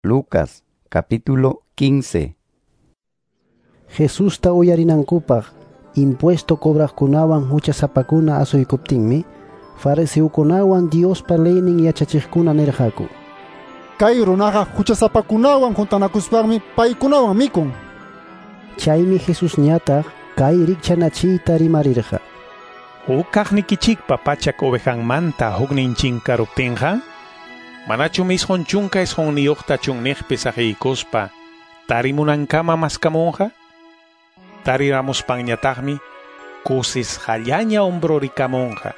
Lucas capítulo 15. Jesusta uyarinankupaq impuesto cobraqkunawan huchasapakuna asuykuptinmi, fariseukunawan Diospa leynin yachachiqkuna nirqaku: Kay runaqa huchasapakunawan juntanakuspanmi paykunawan mikun. Chaymi Jesusñataq kay rikchanachiyta rimarirqa: Huk kaqnikichikpa pachak ovejanmanta huknin chinkaruptinqa, manachum 99 chunniqpi saqiykuspa tarimunankama maskamunqa? Tariramuspanñataqmi kusisqallaña umbrurikamunqa.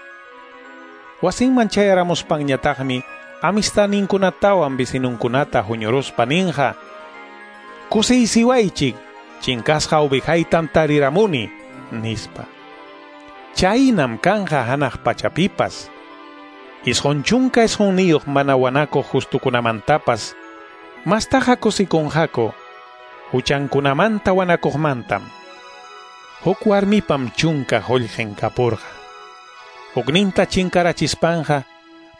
Wasinman chayaramuspanñataqmi amistadninkunatawan vecinunkunata huñuruspa ninqa: Kusiysiwaychik, chinkasqa ovejaytam tariramuni, nispa. Chaynam kanja hanaq pachapipas. 99 mana wanakuq justukunamantapas, mastaqa kusikunqaku huchankunamanta wanakuqmantam. Huk warmipam 10 qullqin kapurqa. Hukninta chinkarachispanqa,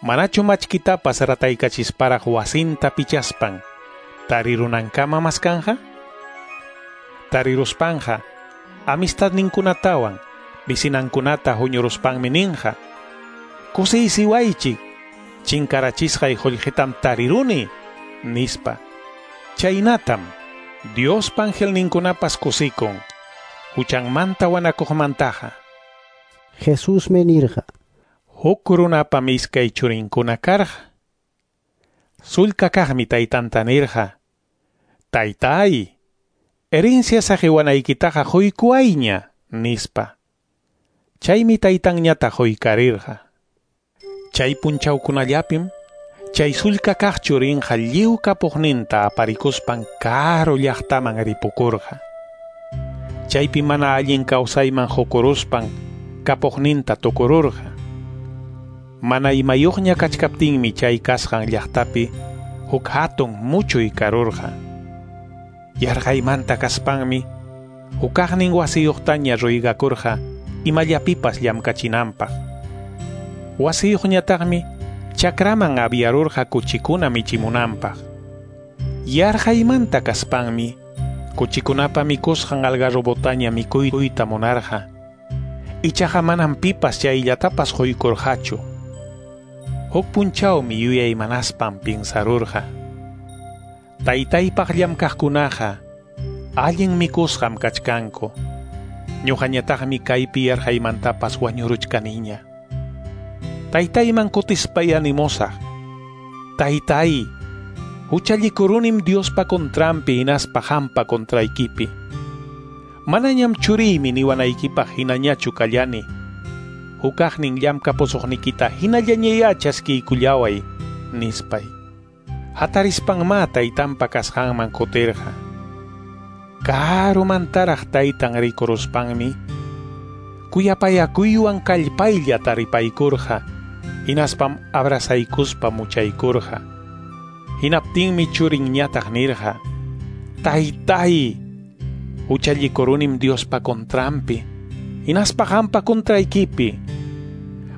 manachu machkitapas rataykachisparaq wasinta pichaspan tarirunankama maskanja? Tariruspanqa, amistadninkunatawan vecinankunata huñuruspanmi ninqa: Kusiysiwaychik, chinkarachisqay qullqitam tariruni, nispa. Chaynatam Diospa angelninkunapas kusikun huchanmanta wanakuqmantaqa. Jesusmi nirqa: Huk runapam iskay churinkuna karqa. Sullka kaqmi taytanta nirqa: Taytay, herencia saqiwanaykitaqa quykuwayña, nispa. Chaymi taytanñataq quykarirqa. Chay punchawkunallapim chay sullka kaq churinqa lliw kapuqninta aparikuspan karu llaqtaman ripukurqa. Chaypi mana allin kawsayman qukuruspan kapuqninta tukururqa. Mana imayuqña kachkaptinmi chay kasqan llaqtapi huk hatun muchuy karurqa. Yarqaymanta kaspanmi hukaqnin wasiyuqtaña ruygakurqa imallapipas llamkachinanpaq. Wasiyuqñataqmi chakraman aviarurqa kuchikuna michimunanpaq. Yarqaymanta kaspanmi kuchikunapa mikusqan algarrobotaña mikuyta munarqa. Ichaqa manam pipas chayllatapas quykurqachu. Huk punchawmi yuyaymanaspan pinsarurqa: Taytaypaq llamkaqkunaqa allin mikusqam kachkanku. Ñuqañataqmi kaypi yarqaymantapas wañuruchkaniña. Taytayman kutispay animosaq: Taytay, huchallikurunim Diospa contranpi hinaspa qampa contraykipi. Manañam churiymi niwanaykipaq hinañachu kallani. Hukaqnin llamkapusuqnikita hinallañayá chaskiykullaway, nispay. Hatarispanmá taytanpa kasqanman kutirqa. Karumantaraq taytan rikuruspanmi kuyapayakuywan kallpaylla taripaykurqa, hinaspam abrazaykuspa muchaykurqa. Hinaptinmi churinñataq nirqa: Taytay, huchallikurunim Diospa contranpi, hinaspa qampa contraykipi.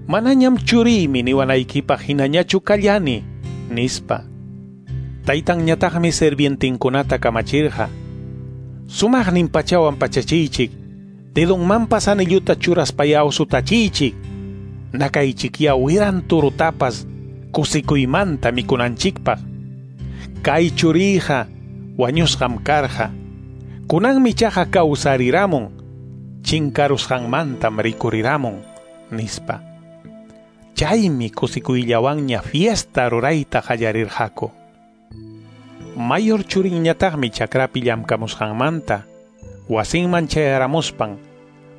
Manañam churiymi niwanaykipaq hinañachu kallani, nispa. Taytanñataqmi sirvientinkunata kamachirqa: Sumaqnin pachawan pachachiychik, dedonmanpas anilluta churaspaya usutachiychik, nakaychikya wiran turutapas kusikuymanta mikunanchikpaq. Kay churiyqa wañusqam karqa, kunanmi chaqa kawsariramun, chinkarusqanmantam rikuriramun, nispa. Chaymi kusikuyllawanña fiesta rurayta qallarirqaku. Mayor churinñataqmi chakrapi llamkamusqanmanta wasinman chayaramuspan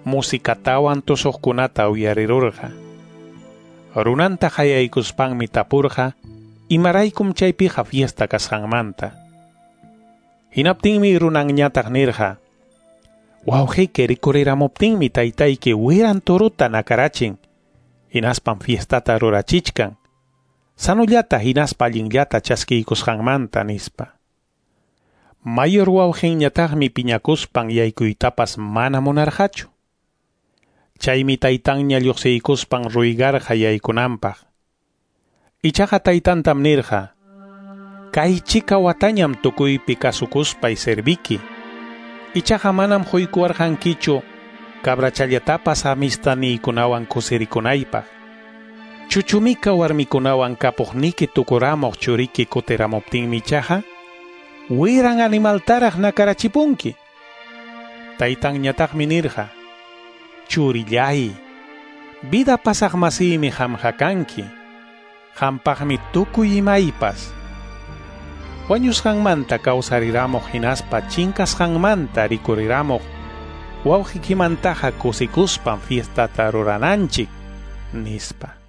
musikatawan tusuqkunata uyarirurqa. Runanta qayaykuspanmi tapurqa imaraykum chaypiqa fiesta kasqanmanta. Hinaptinmi runanñataq nirqa: Wawqiyki rikuriramuptinmi taytayki wiran turuta nakarachin, hinaspam fiestata rurachichkan, sanullata hinaspa allinllata chaskiykusqanmanta, nispa. Mayor wawqinñataqmi piñakuspan yaykuytapas mana munarqachu. Chaymi taytanña lluqsiykuspan ruygarqa yaykunanpaq. Ichaqa taytantam nirqa: Kaychika watañam tukuypi kasukuspay serviki. Ichaqa manam huykuwarqankichu cabrachallatapas amistadniykunawan kusirikunaypaq. Chuchumika warmikunawan kapuqniki tukuramuq churiki kutiramuptinmi ichaqa wiran animaltaraq nakarachipunki. Taytanñataqmi nirqa: Churillay, vida pasaq masiymi qamqa kanki. Qampaqmi tukuy imaypas. Wañusqanmanta kawsariramuq hinaspa chinkasqanmanta rikuriramuq wawqikimantaqa kusikuspam fiestata rurananchik, nispa.